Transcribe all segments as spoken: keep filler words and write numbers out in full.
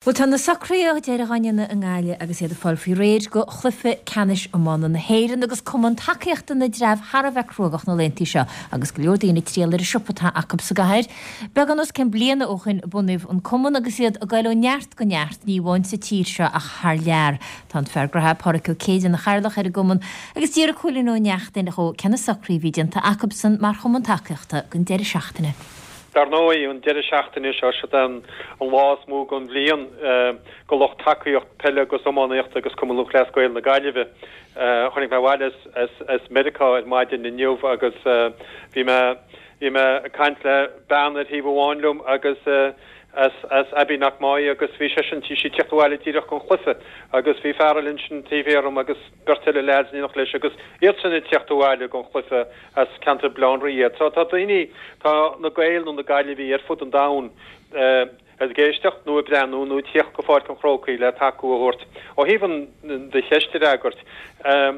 Bhuel, tá na socruithe deiridh á ndéanamh i nGaillimh agus iad ag fáil faoi réir go chluiche ceannais iomána na hÉireann agus cumann tacaíochta na dTreabh thar a bheith cruógach na laethanta seo agus go leor daoine ag triall ar an siopa atá acu sa gcathair. Beagán os cionn bliana ó shin a bunaíodh an cumann agus iad ag goil ó neart go neart, ní amháin sa tír seo ach thar lear. Tá an fear graithe Pádraic Ó Céide ina chathaoirleach ar an gcumann agus d'fhiafraigh Cóilín Ó Neachtain dhó cé na socruithe a bhí déanta acubsan mar chumann tacaíochta don deireadh seachtaine. Dar ndóigh, an deireadh seachtaine seo, siod é an lá is mó den bhliain go lucht tacaíocht peile agus iománaíochta agus Cumann Lúthchleas Gael na Gaillimhe. Tháinig mé abhaile as Meiriceá ar maidin inniu agus bhí mé bhí mé ag caint le bean ar thaobh amháin liom agus as as Abbeyknockmoy agus bhí seisean bhí sí ag tíocht abhaile díreach gon chluiche agus bhí fear eile ansin taobh thiar dhom agus beirt eile leaids in éineacht leis agus iadsan ag tíocht abhaile gon chluiche as ceantar Bhaile Átha an Rí iad. So tá daoine, tá na Gaeil nó na Gaillimhigh ar fud an domhain ag éisteacht nó ag breathnú nó ag tíocht go Pháirc an Chrócaigh le tacú a thabhairt. Ó thaobh an do cheist a fhreagairt,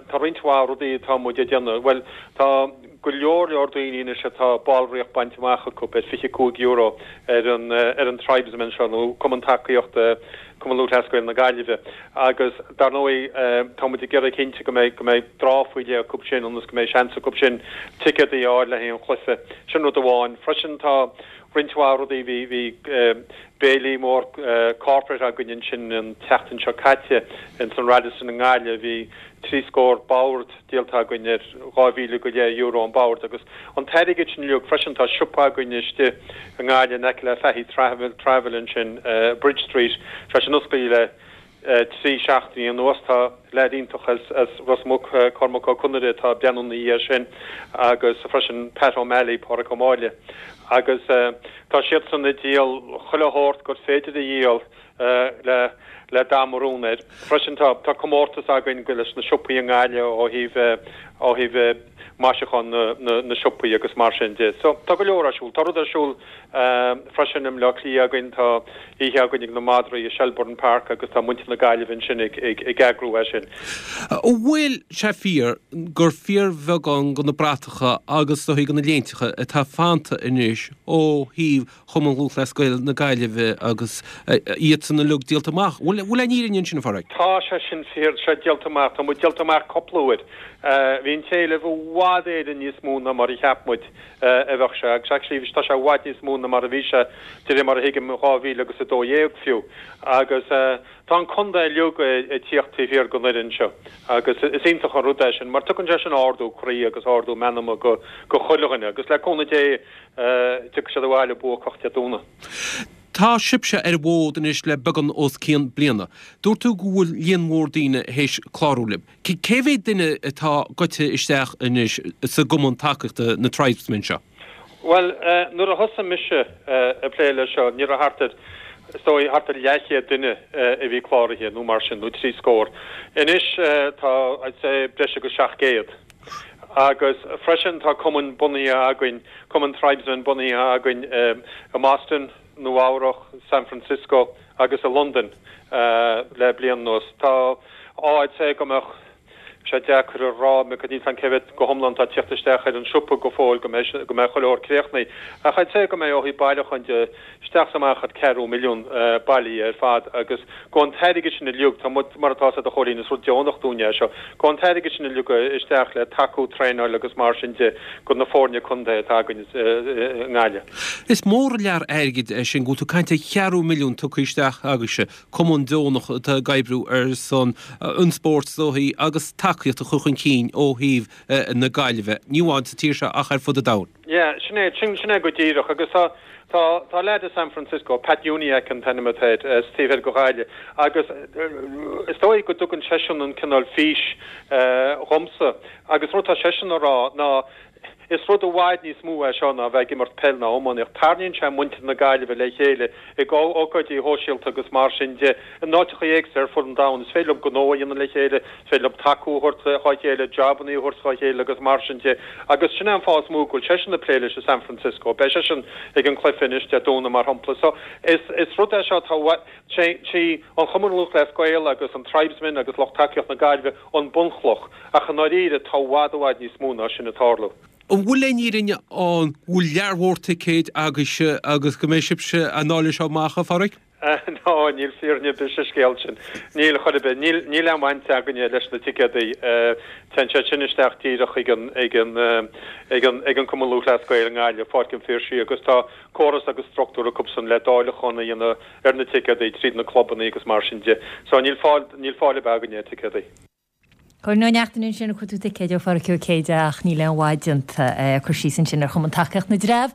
tá roinnt mhaith rudaí atá muid ag déanamh. Bhuel, tá go leor leor daoine anois atá ballraíocht bainte amach acu ar fiche cúig euro ar an ar an Tribesmen seo nó Cumann Tacaíochta Cumann Lúthchleas Gael na Gaillimhe agus dar ndóigh tá muid ag iarraidh cinnte go mbeidh go mbeidh dráth faoi leith acu sin ionas go mbeidh seans acu sin ticéadaí a fháil le haghaidh an chluiche. Sin rud amháin. Freisin tá roinnt mhaith rudaí, bhí bhí béilí mór corporate againn ansin an tseachtain seo caite ins an Radisson i nGaillimh, bhí trí scór bord díolta againn ar dhá mhíle go leith euro an bord agus an t-airgead sin uilig freisin tá siopa againn istigh i nGaillimh in aice le Fahy Travel Travel ansin Bridge Street tá sin oscailte le trí seachtainí anuas tá leaid iontach as as Ros Muc Cormac Ó Conaire atá ag breathnú ina dhiaidh sin agus freisin Pat O'Malley Pádraic Ó Máille agus tá siadsan ag díol chuile shórt gur féidir a dhíol le le dath marún air. Freisin tá tá comórtas againn go leis na siopaí i nGaillimh ó thaobh ó thaobh maisiúchán na na na siopaí agus mar sin de. So tá go leor ar siúl. Tá rud ar siúl freisin i mBleá Cliath againn, tá oíche againn ag na madraí i Shelbourne Park agus tá muintir na Gaillimhe ansin ag ag ag eagrú é sin. An bhfuil sé fíor gur fíorbheagán de na bratacha agus do na léinteacha atá fanta anois ó thaobh Chumann Lúthchleas Gael na Gaillimhe agus iadsan uilig díolta amach. Bhfuil bhfuil an fhírinne ansin a Phádraig? Tá sé sin fíor, sé díolta amach, tá muid díolta amach cúpla uair. Bhí an t-éileamh i bhfad Éireann níos mó ná mar a cheap muid a bheadh sé agus actually tá sé i bhfad níos mó ná mar a bhí sé de réir mar a thuigim dhá mhíle agus a dó dhéag fiú. Agus tá an contae uilig ag tíocht taobh thiar den fhoireann seo agus is iontach an rud é sin mar tugann sé sin ardú croí agus ardú meanma go go chuile dhuine agus le cúnamh Dé tiocfaidh siad abhaile buacach Dé Domhnaigh. Tá sibhse ar an bhfód anois le beagán os cionn bliana. Dúirt tú go bhfuil líon mór daoine théis clárú libh. Cé mhéad duine atá goite isteach anois sa gcumann tacaíochta na Tribesmen seo? Bhuel, nuair a thosaigh mise ag plé leis seo, ní raibh thart ar, is dóigh, thart ar leathchéad duine a bhí cláraithe nó mar sin, nó trí scór. Anois tá, I'd say, breis agus seacht gcéad. Agus freisin tá cumainn bunaithe againn, cumann Tribesmen bunaithe againn i mBoston, Nua Eabhrac, San Francisco agus i Londain le bliain anuas. Tá, I'd say go mbeadh sé deacair a rá, níl a fhios agam cé mhéad go hiomlán atá ag tíocht isteach ar an siopa go fóill go mbeidh go mbeidh chuile shórt críochnaithe. Ach I'd say go mbeidh ó thaobh bailiúcháin de isteach is amach thart ceathrú milliún bailithe ar fad agus go an t-airgead sin uilig, tá muid, mar atá a fhios agat a Chóilín, is rud deonach dúinn é seo, go an t-airgead sin uilig isteach le tacú, traenáil agus mar sin de go na foirne contae atá againn i nGaillimh. Is mór an lear airgid é sin go bhfuil tú ag caint ar cheathrú milliún tugtha isteach agaibhse, cumann deonach atá ag oibriú ar son an spóirt is dóichí agus tacaíocht a chur chun cinn ó thaobh na Gaillimhe, ní amháin sa tír seo ach ar fud an domhain. Yeah, sin é, sin, sin é go díreach agus tá, tá, tá leaid i San Francisco, Pat Uniacke an t-ainm atá air, as taobh thoir de Ghaillimh agus is dóigh go dtugann seisean an cineál fís dhomsa agus rud atá seisean a rá ná is rud i bhfad níos mó é seo ná bheith ag imirt peil ná iománaíocht. Tarraingíonn sé muintir na Gaillimhe le chéile ag ócáidí shóisialta agus mar sin de in áiteacha éagsúla ar fud an domhain. Is féidir leo gnó a dhéanamh le chéile, is féidir leo tacú a thabhairt dá chéile, jabanna a thabhairt dá chéile agus mar sin de. Agus sin é an fáth is mó go bhfuil seisean ag plé leis i San Francisco. Beidh seisean ag an cluiche anois Dé Domhnaigh mar shampla. So is is rud é seo atá sé sí an Chumann Lúthchleas Gael agus an Tribesmen agus lucht tacaíocht na Gaillimhe an bunchloch ach i ndáiríre tá i bhfad i bhfad níos mó ná sin ag tarlú. An bhfuil aon fhírinne ann go bhfuil lear mhór ticéid agaibhse agus go mbeidh sibhse ag dáileadh seo amach a Phádraig? Ná, níl fírinne ar bith sa scéal sin. Níl chor ar bith. Níl, níl aon bhaint againne leis na ticéadaí. Téann siad sin isteach díreach chuig an, ag an, ag an, ag an Cumann Lúthchleas Gael i nGaillimh, Páirc an Phiarsaigh, agus tá córas agus struchtúr acusan le dáileachán a dhéanamh ar na ticéadaí tríd na clubanna agus mar sin de. So níl fáil, níl fáil ar bith againne ar ticéadaí. Cuireann Ó Neachtain ansin ag cuartú ticéid ó Pháraic Ó Céide ach níl aon mhaith déanta. Cur síos ansin ar Chumann Tacaíocht na dTreabh.